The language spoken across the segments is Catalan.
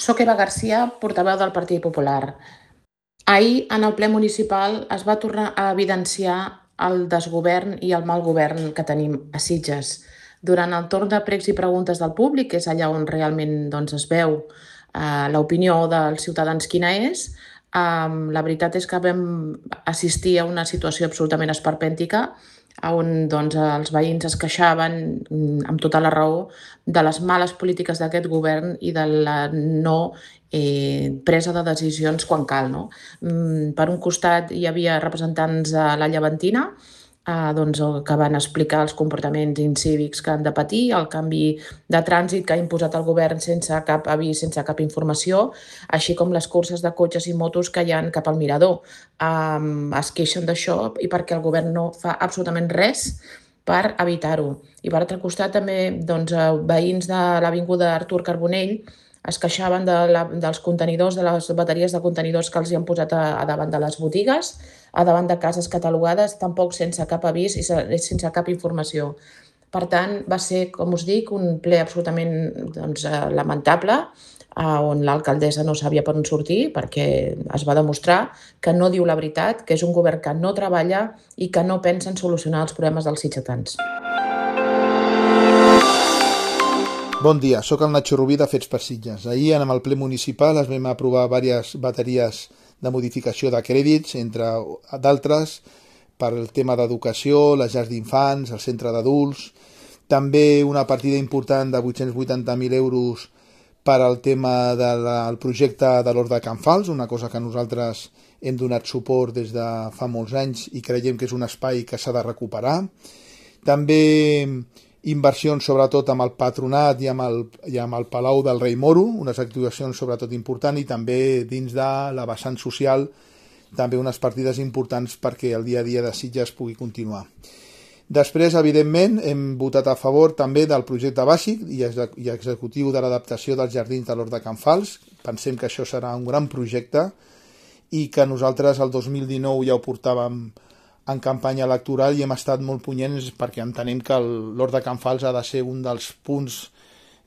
Soc Eva Garcia, portaveu del Partit Popular. Ahir, en el ple municipal, es va tornar a evidenciar el desgovern i el mal govern que tenim a Sitges. Durant el torn de pregs i preguntes del públic, que és allà on realment es veu l'opinió dels ciutadans quina és, la veritat és que vam assistir a una situació absolutament esperpèntica on els veïns es queixaven amb tota la raó de les males polítiques d'aquest govern i de la no presa de decisions quan cal. Per un costat hi havia representants de la Llevantina que van explicar els comportaments incívics que han de patir, el canvi de trànsit que ha imposat el govern sense cap avís, sense cap informació, així com les curses de cotxes i motos que hi ha cap al mirador. Es queixen d'això i perquè el govern no fa absolutament res per evitar-ho. I per altre costat també veïns de l'avinguda Artur Carbonell es queixaven dels contenidors, de les bateries de contenidors que els hi han posat a davant de les botigues, a davant de cases catalogades, tampoc sense cap avís i sense cap informació. Per tant, va ser, com us dic, un ple absolutament lamentable, on l'alcaldessa no sabia per on sortir, perquè es va demostrar que no diu la veritat, que és un govern que no treballa i que no pensa en solucionar els problemes dels sitgetans. Bon dia, sóc el Nacho Rubí de Fets per Sitges. Ahir, en el ple municipal, es vam aprovar diverses bateries de modificació de crèdits, entre d'altres, per el tema d'educació, les llars d'infants, el centre d'adults, també una partida important de 880.000 euros per al tema del projecte de l'Hort de Can Fals, una cosa que nosaltres hem donat suport des de fa molts anys i creiem que és un espai que s'ha de recuperar. També inversions sobretot amb el Patronat i amb el Palau del Rei Moro, unes actuacions sobretot importants, i també dins de la vessant social també unes partides importants perquè el dia a dia de Sitges pugui continuar. Després, evidentment, hem votat a favor també del projecte bàsic i executiu de l'adaptació dels jardins de l'Hort de Can Fals. Pensem que això serà un gran projecte i que nosaltres el 2019 ja ho portàvem en campanya electoral i hem estat molt punyents perquè entenem que l'Hort de Can Fals ha de ser un dels punts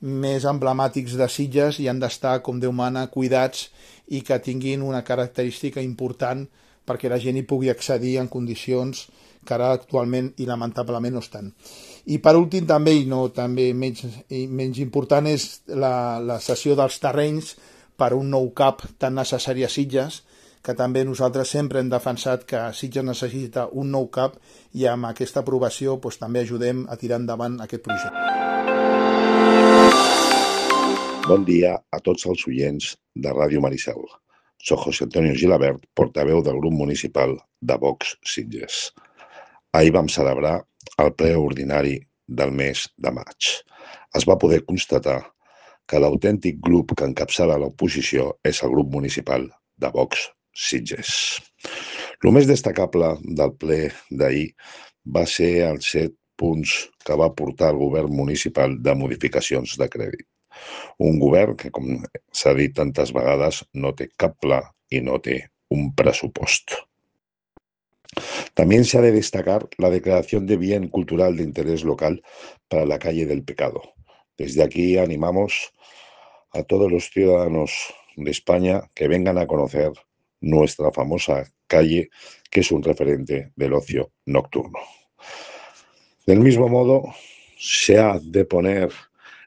més emblemàtics de Sitges i han d'estar, com Déu mana, cuidats i que tinguin una característica important perquè la gent hi pugui accedir en condicions que ara actualment i lamentablement no estan. I per últim també, i no també menys important, és la cessió dels terrenys per un nou CAP tan necessari a Sitges, que també nosaltres sempre hem defensat que Sitges necessita un nou CAP i amb aquesta aprovació també ajudem a tirar endavant aquest projecte. Bon dia a tots els oients de Ràdio Maricel. Soc José Antonio Gilabert, portaveu del grup municipal de Vox Sitges. Ahir vam celebrar el ple ordinari del mes de maig. Es va poder constatar que l'autèntic grup que encapçala l'oposició és el grup municipal de Vox Sitges. El més destacable del ple d'ahir va ser els 7 punts que va portar el govern municipal de modificacions de crèdit. Un govern que, com s'ha dit tantes vegades, no té cap pla i no té un pressupost. También se ha de destacar la declaración de bien cultural de interés local para la calle del Pecado. Desde aquí animamos a todos los ciudadanos de España que vengan a conocer nuestra famosa calle, que es un referente del ocio nocturno. Del mismo modo, se ha de poner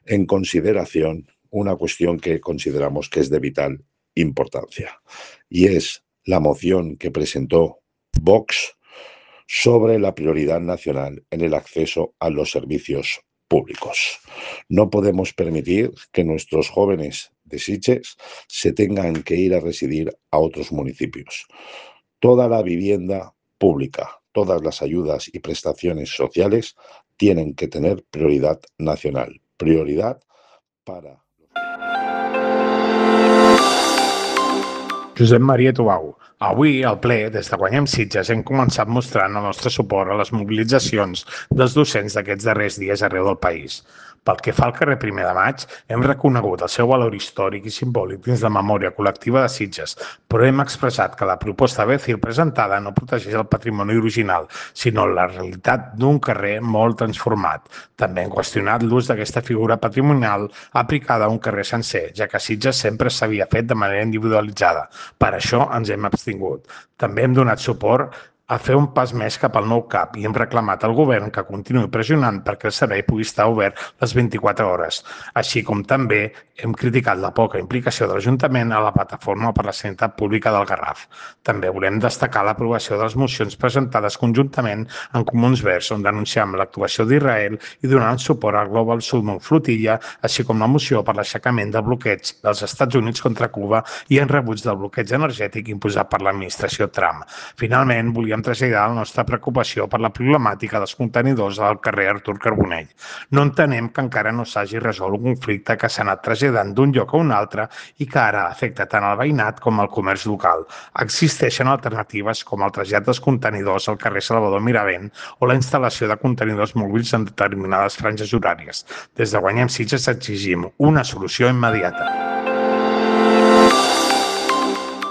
en consideración una cuestión que consideramos que es de vital importancia, y es la moción que presentó Vox sobre la prioridad nacional en el acceso a los servicios públicos. No podemos permitir que nuestros jóvenes de Sitges se tengan que ir a residir a otros municipios. Toda la vivienda pública, todas las ayudas y prestaciones sociales tienen que tener prioridad nacional, prioridad para... Josep Maria Tubau. Avui, al ple, des de Guanyem Sitges, hem començat mostrant el nostre suport a les mobilitzacions dels docents d'aquests darrers dies arreu del país. Pel que fa al carrer Primer de Maig, hem reconegut el seu valor històric i simbòlic dins la memòria col·lectiva de Sitges, però hem expressat que la proposta Becil presentada no protegeix el patrimoni original, sinó la realitat d'un carrer molt transformat. També hem qüestionat l'ús d'aquesta figura patrimonial aplicada a un carrer sencer, ja que a Sitges sempre s'havia fet de manera individualitzada. Per això ens hem abstingut. També hem donat suport a fer un pas més cap al nou CAP i hem reclamat al govern que continuï pressionant perquè el servei pugui estar obert les 24 hores, així com també hem criticat la poca implicació de l'Ajuntament a la plataforma per la sanitat pública del Garraf. També volem destacar l'aprovació de les mocions presentades conjuntament en Comuns Verds, on denunciam l'actuació d'Israel i donant suport al Global Salmon Flotilla, així com la moció per l'aixecament del bloqueig dels Estats Units contra Cuba i en rebuig del bloqueig energètic imposat per l'administració Trump. Finalment, volíem traslladar la nostra preocupació per la problemàtica dels contenidors al carrer Artur Carbonell. No entenem que encara no s'hagi resolt un conflicte que s'ha anat traslladant d'un lloc a un altre i que ara afecta tant el veïnat com el comerç local. Existeixen alternatives com el trasllat dels contenidors al carrer Salvador Miravent o la instal·lació de contenidors mòbils en determinades franges horàries. Des de Guanyem Sitges exigim una solució immediata.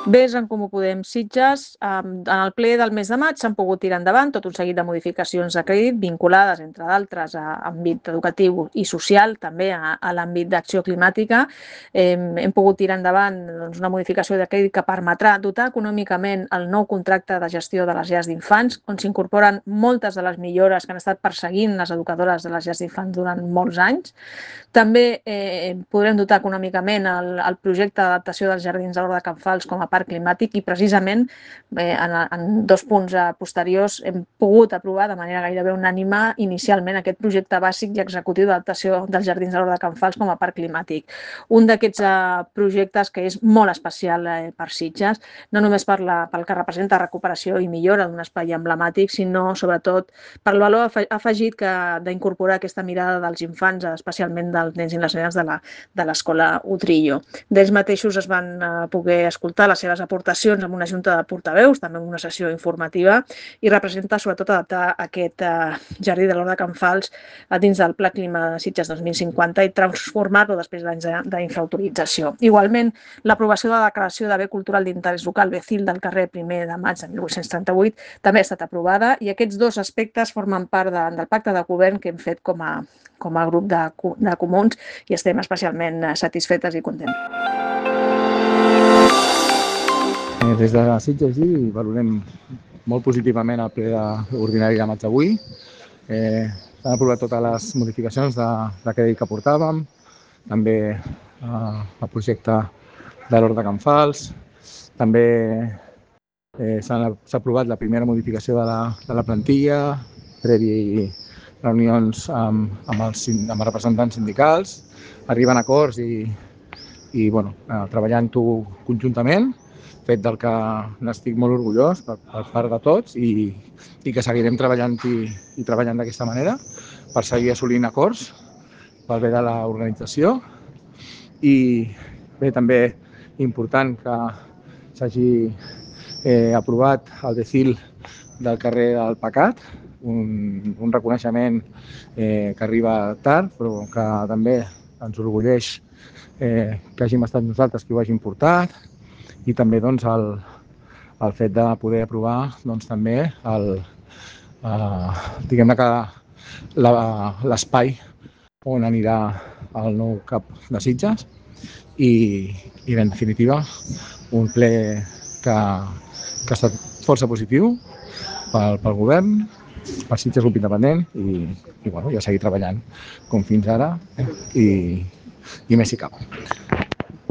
Des d'en Comú Podem Sitges, en el ple del mes de maig s'han pogut tirar endavant tot un seguit de modificacions de crèdit vinculades, entre d'altres, a àmbit educatiu i social, també a l'àmbit d'acció climàtica. Hem pogut tirar endavant una modificació de crèdit que permetrà dotar econòmicament el nou contracte de gestió de les llars d'infants, on s'incorporen moltes de les millores que han estat perseguint les educadores de les llars d'infants durant molts anys. També podrem dotar econòmicament el projecte d'adaptació dels jardins de l'Hort de Can Fals com a parc climàtic i precisament en dos punts posteriors hem pogut aprovar de manera gairebé unànime inicialment aquest projecte bàsic i executiu d'adaptació dels jardins de l'Hort de Can Fals com a parc climàtic. Un d'aquests projectes que és molt especial per Sitges, no només pel que representa recuperació i millora d'un espai emblemàtic, sinó sobretot per el valor afegit d'incorporar aquesta mirada dels infants, especialment dels nens i les nenes de l'escola Utrillo. D'ells mateixos es van poder escoltar les seves aportacions en una junta de portaveus, també en una sessió informativa, i representa sobretot adaptar aquest jardí de l'Hort de Can Fals dins del Pla Clima de Sitges 2050 i transformar-lo després d'anys d'infraautorització. Igualment, l'aprovació de la declaració de bé cultural d'interès local Becil del carrer Primer de Maig de 1838 també ha estat aprovada i aquests dos aspectes formen part del pacte de govern que hem fet com a grup de comuns i estem especialment satisfetes i contents. Des de Sitges valorem molt positivament el ple ordinari de maig d'avui. S'han aprovat totes les modificacions de crèdit que portàvem, també el projecte de l'Hort de Can Fals, també s'ha aprovat la primera modificació de la plantilla, previ reunions amb els representants sindicals, arriben a acords i treballant-ho conjuntament, fet del que n'estic molt orgullós per part de tots i que seguirem treballant i treballant d'aquesta manera per seguir assolint acords pel bé de l'organització. I bé, també important que s'hagi aprovat el Becil del carrer del Pecat, un reconeixement que arriba tard però que també ens orgulleix que hàgim estat nosaltres qui ho hàgim portat i també el fet de poder aprovar també diguem-ne que l'espai on anirà el nou CAP de Sitges i en definitiva un ple que ha estat força positiu pel govern, per Sitges Grup Independent i a seguir treballant com fins ara i més si cal.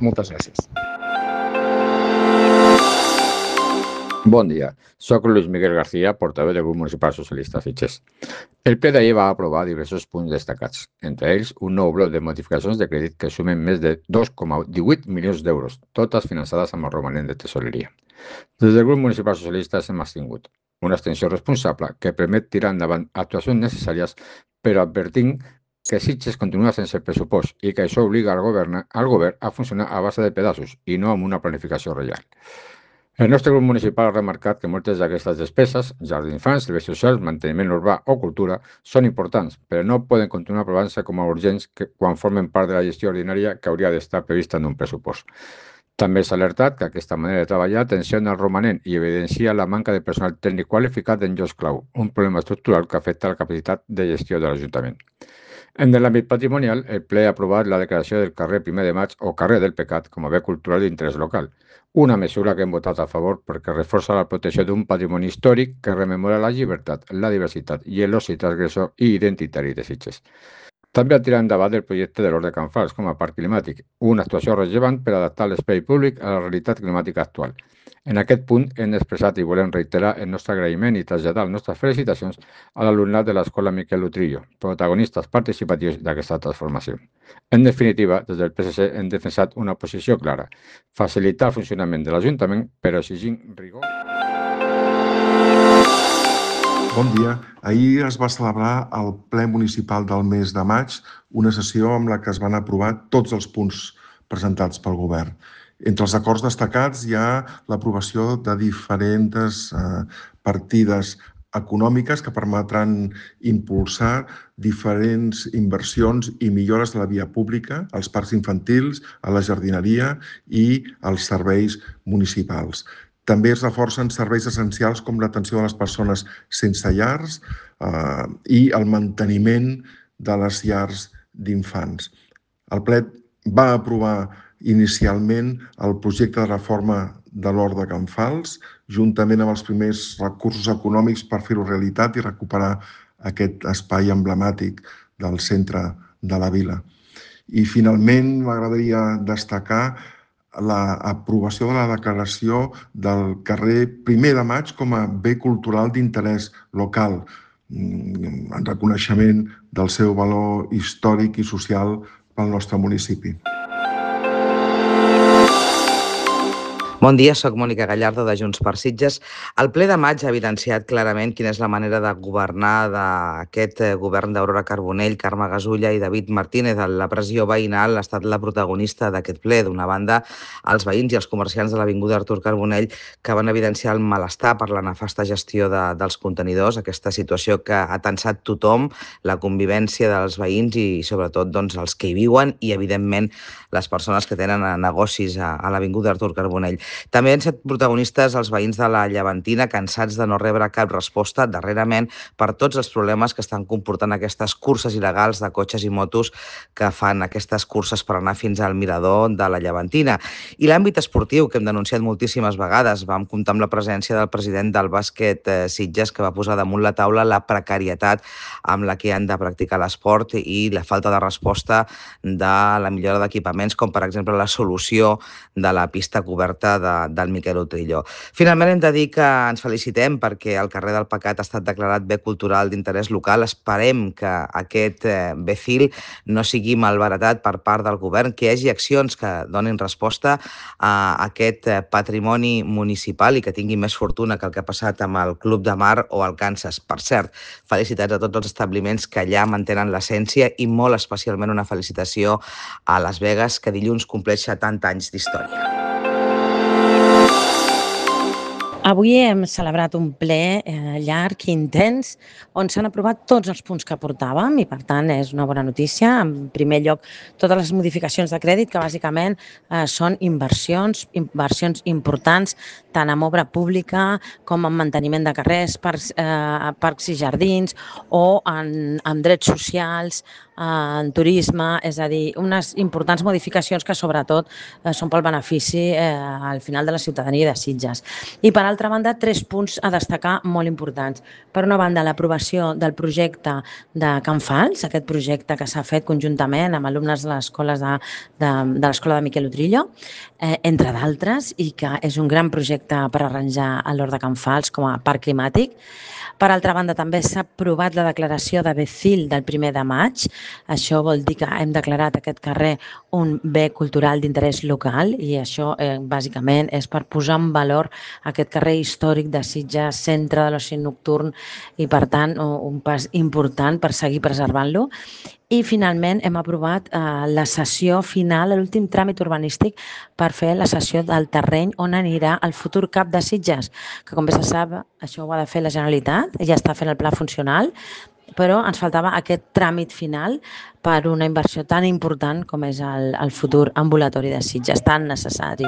Moltes gràcies. Bon dia, soc Luis Miguel García, portaveu del Grup Municipal Socialista Sitges. El ple d'ahir va aprovar diversos punts destacats, entre ells un nou bloc de modificacions de crèdit que sumen més de 2,18 milions d'euros, totes finançades amb el romanent de tesoreria. Des del Grup Municipal Socialista hem abstingut, una abstenció responsable que permet tirar endavant actuacions necessàries, però advertint que Sitges continua sense pressupost i que això obliga al govern a funcionar a base de pedaços i no amb una planificació real. El nostre grup municipal ha remarcat que moltes d'aquestes despeses, jardins d'infants, serveis socials, manteniment urbà o cultura, són importants, però no poden continuar aprovant-se com a urgents quan formen part de la gestió ordinària que hauria d'estar prevista en un pressupost. També s'ha alertat que aquesta manera de treballar tensiona el romanent i evidencia la manca de personal tècnic qualificat en llocs clau, un problema estructural que afecta la capacitat de gestió de l'Ajuntament. En l'àmbit patrimonial, el ple ha aprovat la declaració del carrer 1 de Maig o carrer del Pecat com a bé cultural d'interès local, una mesura que hem votat a favor perquè reforça la protecció d'un patrimoni històric que rememora la llibertat, la diversitat i l'oci transgressor i identitari de Sitges. També ha tirat endavant el projecte de l'Hort de Can Fals com a parc climàtic, una actuació rellevant per adaptar l'espai públic a la realitat climàtica actual. En aquest punt hem expressat i volem reiterar el nostre agraïment i traslladar les nostres felicitacions a l'alumnat de l'Escola Miquel Utrillo, protagonistes participatius d'aquesta transformació. En definitiva, des del PSC hem defensat una posició clara, facilitar el funcionament de l'Ajuntament, però exigint rigor. Bon dia. Ahir es va celebrar al ple municipal del mes de maig una sessió amb la que es van aprovar tots els punts presentats pel govern. Entre els acords destacats hi ha l'aprovació de diferents partides econòmiques que permetran impulsar diferents inversions i millores de la via pública, als parcs infantils, a la jardineria i als serveis municipals. També es reforcen serveis essencials com l'atenció de les persones sense llars i el manteniment de les llars d'infants. El ple va aprovar inicialment el projecte de reforma de l'Hort de Can Fals, juntament amb els primers recursos econòmics per fer-ho realitat i recuperar aquest espai emblemàtic del centre de la vila. I finalment m'agradaria destacar l'aprovació de la declaració del carrer 1 de Maig com a bé cultural d'interès local, en reconeixement del seu valor històric i social pel nostre municipi. Bon dia, soc Mònica Gallardo de Junts per Sitges. El ple de maig ha evidenciat clarament quina és la manera de governar d'aquest govern d'Aurora Carbonell, Carme Gasulla i David Martínez. La pressió veïnal ha estat la protagonista d'aquest ple. D'una banda, els veïns i els comerciants de l'avinguda Artur Carbonell que van evidenciar el malestar per la nefasta gestió dels contenidors, aquesta situació que ha tensat tothom, la convivència dels veïns i sobretot els que hi viuen i, evidentment, les persones que tenen negocis a l'avinguda Artur Carbonell. També han estat protagonistes els veïns de la Llevantina, cansats de no rebre cap resposta darrerament per tots els problemes que estan comportant aquestes curses il·legals de cotxes i motos que fan aquestes curses per anar fins al mirador de la Llevantina. I l'àmbit esportiu, que hem denunciat moltíssimes vegades, vam comptar amb la presència del president del bàsquet Sitges, que va posar damunt la taula la precarietat amb la que han de practicar l'esport i la falta de resposta de la millora d'equipaments, com per exemple la solució de la pista coberta del Miquel Utrillo. Finalment hem de dir que ens felicitem perquè el carrer del Pecat ha estat declarat bé cultural d'interès local. Esperem que aquest BCIL no sigui malbaratat per part del govern, que hi hagi accions que donin resposta a aquest patrimoni municipal i que tingui més fortuna que el que ha passat amb el Club de Mar o el Kansas. Per cert, felicitats a tots els establiments que allà mantenen l'essència i molt especialment una felicitació a Las Vegas, que dilluns compleix 70 anys d'història. Avui hem celebrat un ple llarg i intens on s'han aprovat tots els punts que portàvem i, per tant, és una bona notícia. En primer lloc, totes les modificacions de crèdit que bàsicament són inversions importants tant en obra pública com en manteniment de carrers, parcs i jardins o en drets socials, en turisme, és a dir, unes importants modificacions que sobretot són pel benefici al final de la ciutadania de Sitges. I per altra banda, 3 punts a destacar molt importants. Per una banda, l'aprovació del projecte de Can Fals, aquest projecte que s'ha fet conjuntament amb alumnes de l'escola de Miquel Utrillo, entre d'altres, i que és un gran projecte per arranjar l'Hort de Can Fals com a parc climàtic. Per altra banda, també s'ha aprovat la declaració de BCIL del 1 de maig, Això vol dir que hem declarat aquest carrer un bé cultural d'interès local i això bàsicament és per posar en valor aquest carrer històric de Sitges, centre de l'oci nocturn i per tant un pas important per seguir preservant-lo. I finalment hem aprovat la cessió final, l'últim tràmit urbanístic per fer la cessió del terreny on anirà el futur CAP de Sitges, que com bé se sap això ho ha de fer la Generalitat, ja està fent el pla funcional, però ens faltava aquest tràmit final per una inversió tan important com és el futur ambulatori de Sitges, tan necessari.